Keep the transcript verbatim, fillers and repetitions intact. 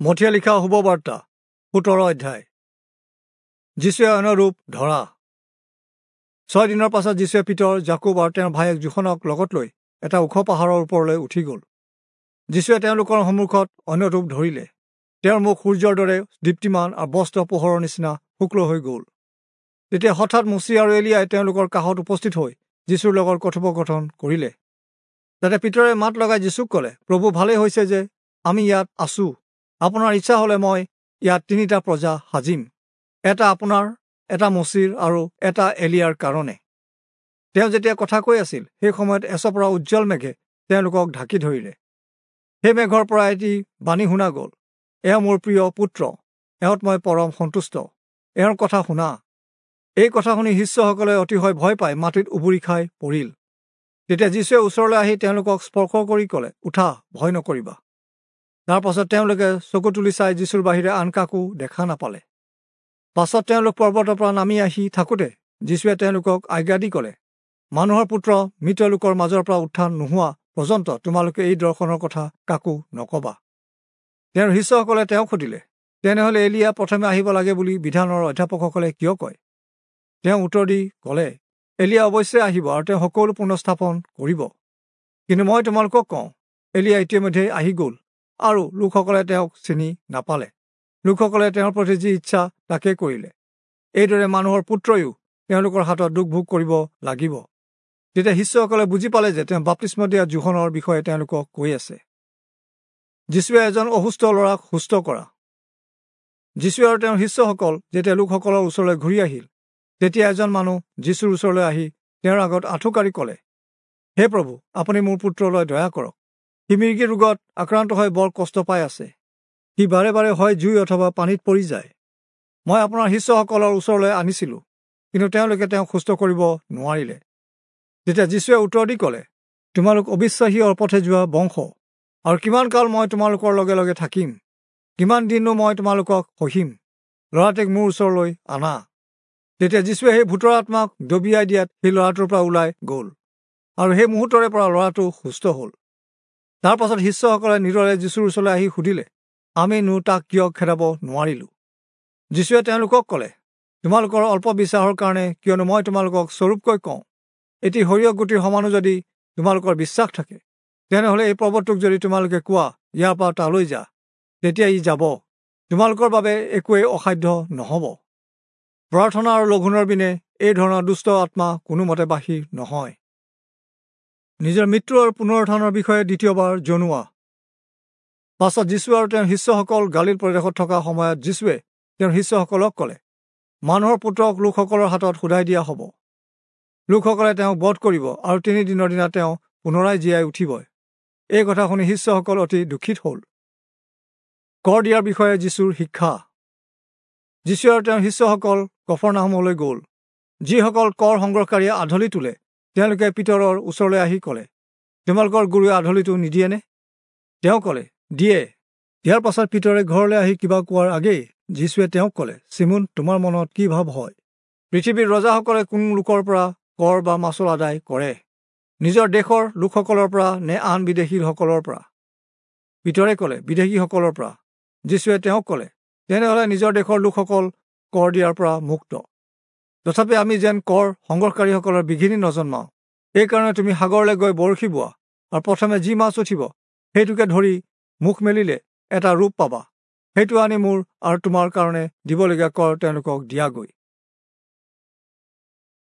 মথিয়ে লিখা শুভবাৰ্তা সোতৰ অধ্যায়। যীশুৱে অন্য ৰূপ ধৰা। ছয় দিনৰ পাছত যীশুৱে পিতৰ, যাকুব আৰু তেওঁৰ ভায়েক যোহনক লগত লৈ এটা ওখ পাহাৰৰ ওপৰলৈ উঠি গ'ল। যীশুৱে তেওঁলোকৰ সন্মুখত অন্য ৰূপ ধৰিলে। তেওঁৰ মুখ সূৰ্যৰ দৰে দীপ্তিমান আৰু বস্ত্ৰ পোহৰৰ নিচিনা শুক্ল হৈ গ'ল। তেতিয়া হঠাৎ মোচি আৰু এলিয়াই তেওঁলোকৰ কাষত উপস্থিত হৈ যীশুৰ লগত কথোপকথন কৰিলে। তাতে পিতৰে মাত লগাই যীশুক ক'লে, প্ৰভু, ভালেই হৈছে যে আমি ইয়াত আছো। আপোনাৰ ইচ্ছা হ'লে মই ইয়াত তিনিটা প্ৰজা সাজিম, এটা আপোনাৰ, এটা মোচিৰ আৰু এটা এলিয়াৰ কাৰণে। তেওঁ যেতিয়া কথা কৈ আছিল, সেই সময়ত এচপৰা উজ্জ্বল মেঘে তেওঁলোকক ঢাকি ধৰিলে। সেই মেঘৰ পৰা এটি বাণী শুনা গ'ল, এওঁ মোৰ প্ৰিয় পুত্ৰ, এওঁত মই পৰম সন্তুষ্ট, এওঁৰ কথা শুনা। এই কথা শুনি শিষ্যসকলে অতিশয় ভয় পাই মাটিত উবুৰি খাই পৰিল। তেতিয়া যীশুৱে ওচৰলৈ আহি তেওঁলোকক স্পৰ্শ কৰি ক'লে, উঠা, ভয় নকৰিবা। তাৰ পাছত তেওঁলোকে চকু তুলি চাই যীশুৰ বাহিৰে আন কাকো দেখা নাপালে। পাছত তেওঁলোক পৰ্বতৰ পৰা নামি আহি থাকোঁতে যীশুৱে তেওঁলোকক আজ্ঞা দি ক'লে, মানুহৰ পুত্ৰ মৃত লোকৰ মাজৰ পৰা উত্থান নোহোৱা পৰ্যন্ত তোমালোকে এই দৰ্শনৰ কথা কাকো নকবা। তেওঁৰ শিষ্যসকলে তেওঁক সুধিলে, তেনেহ'লে এলিয়া প্ৰথমে আহিব লাগে বুলি বিধানৰ অধ্যাপকসকলে কিয় কয়? তেওঁ উত্তৰ দি ক'লে, এলিয়া অৱশ্যে আহিব আৰু তেওঁ সকলো পুনঃস্থাপন কৰিব। কিন্তু মই তোমালোকক কওঁ, এলিয়া ইতিমধ্যে আহি গ'ল আৰু লোকসকলে তেওঁক চিনি নাপালে। লোকসকলে তেওঁৰ প্ৰতি যি ইচ্ছা তাকে কৰিলে। এইদৰে মানুহৰ পুত্ৰয়ো তেওঁলোকৰ হাতত দুখ ভোগ কৰিব লাগিব। তেতিয়া শিষ্যসকলে বুজি পালে যে তেওঁ বাপ্তিস্ম দিয়া যোহনৰ বিষয়ে তেওঁলোকক কৈ আছে। যীশুৱে এজন অসুস্থ ল'ৰাক সুস্থ কৰা। যীশুৱে আৰু তেওঁৰ শিষ্যসকল যেতিয়া লোকসকলৰ ওচৰলৈ ঘূৰি আহিল, তেতিয়া এজন মানুহ যীশুৰ ওচৰলৈ আহি তেওঁৰ আগত আঁঠুকাঢ়ি ক'লে, হে প্ৰভু, আপুনি মোৰ পুত্ৰলৈ দয়া কৰক। সি মিৰ্গী ৰোগত আক্ৰান্ত হৈ বৰ কষ্ট পাই আছে। সি বাৰে বাৰে হয় জুই অথবা পানীত পৰি যায়। মই আপোনাৰ শিষ্যসকলৰ ওচৰলৈ আনিছিলোঁ, কিন্তু তেওঁলোকে তেওঁক সুস্থ কৰিব নোৱাৰিলে। তেতিয়া যীশুৱে উত্তৰ দি ক'লে, তোমালোক অবিশ্বাসী অপথে যোৱা বংশ, আৰু কিমান কাল মই তোমালোকৰ লগে লগে থাকিম? কিমান দিননো মই তোমালোকক সহিম? ল'ৰাটোক মোৰ ওচৰলৈ আনা। তেতিয়া যীশুৱে সেই ভূতৰ আত্মাক দবিয়াই দিয়াত সেই ল'ৰাটোৰ পৰা ওলাই গ'ল আৰু সেই মুহূৰ্তৰে পৰা ল'ৰাটো সুস্থ হ'ল। তাৰ পাছত শিষ্যসকলে নিজৰে যীশুৰ ওচৰলৈ আহি সুধিলে, আমি নো তাক কিয় খেদাব নোৱাৰিলোঁ? যীশুৱে তেওঁলোকক ক'লে, তোমালোকৰ অল্প বিশ্বাসৰ কাৰণে, কিয়নো মই তোমালোকক স্বৰূপকৈ কওঁ, এটি সৰিয়হ গুটিৰ সমানো যদি তোমালোকৰ বিশ্বাস থাকে, তেনেহ'লে এই পৰ্বতটোক যদি তোমালোকে কোৱা, ইয়াৰ পৰা তালৈ যা, তেতিয়া ই যাব। তোমালোকৰ বাবে একোৱেই অসাধ্য নহ'ব। প্ৰাৰ্থনা আৰু লঘোণৰ বিনে এই ধৰণৰ দুষ্ট আত্মা কোনোমতে বাহিৰ নহয়। নিজৰ মৃত্যু আৰু পুনৰুত্থানৰ বিষয়ে দ্বিতীয়বাৰ জনোৱা। পাছত যীশু আৰু তেওঁৰ শিষ্যসকল গালিল প্ৰদেশত থকা সময়ত যীশুৱে তেওঁৰ শিষ্যসকলক ক'লে, মানুহৰ পুত্ৰক লোকসকলৰ হাতত সোধাই দিয়া হ'ব। লোকসকলে তেওঁক বধ কৰিব আৰু তিনিদিনৰ দিনা তেওঁ পুনৰাই জীয়াই উঠিব। এই কথা শুনি শিষ্যসকল অতি দুখিত হ'ল। কৰ দিয়াৰ বিষয়ে যীশুৰ শিক্ষা। যীশু আৰু তেওঁৰ শিষ্যসকল কফৰনাহূমলৈ গ'ল। যিসকল কৰ সংগ্ৰহকাৰীয়ে আধলি তোলে, তেওঁলোকে পিতৰৰ ওচৰলৈ আহি ক'লে, তোমালোকৰ গুৰুৱে আধলিটো নিদিয়েনে? তেওঁ ক'লে, দিয়ে। ইয়াৰ পাছত পিতৰে ঘৰলৈ আহি কিবা কোৱাৰ আগেয়ে যীশুৱে তেওঁক ক'লে, চিমোন, তোমাৰ মনত কি ভাৱ হয়? পৃথিৱীৰ ৰজাসকলে কোন লোকৰ পৰা কৰ বা মাচুল আদায় কৰে? নিজৰ দেশৰ লোকসকলৰ পৰা নে আন বিদেশীসকলৰ পৰা? পিতৰে ক'লে, বিদেশীসকলৰ পৰা। যীশুৱে তেওঁক ক'লে, তেনেহ'লে নিজৰ দেশৰ লোকসকল কৰ দিয়াৰ পৰা মুক্ত। তথাপি আমি যেন কৰ সংগ্ৰহকাৰীসকলৰ বিঘিনি নজন্মাওঁ, এইকাৰণে তুমি সাগৰলৈ গৈ বৰশী বোৱা আৰু প্ৰথমে যি মাছ উঠিব সেইটোকে ধৰি মুখ মেলিলে এটা ৰূপ পাবা। সেইটো আনি মোৰ আৰু তোমাৰ কাৰণে দিবলগীয়া কৰ তেওঁলোকক দিয়াগৈ।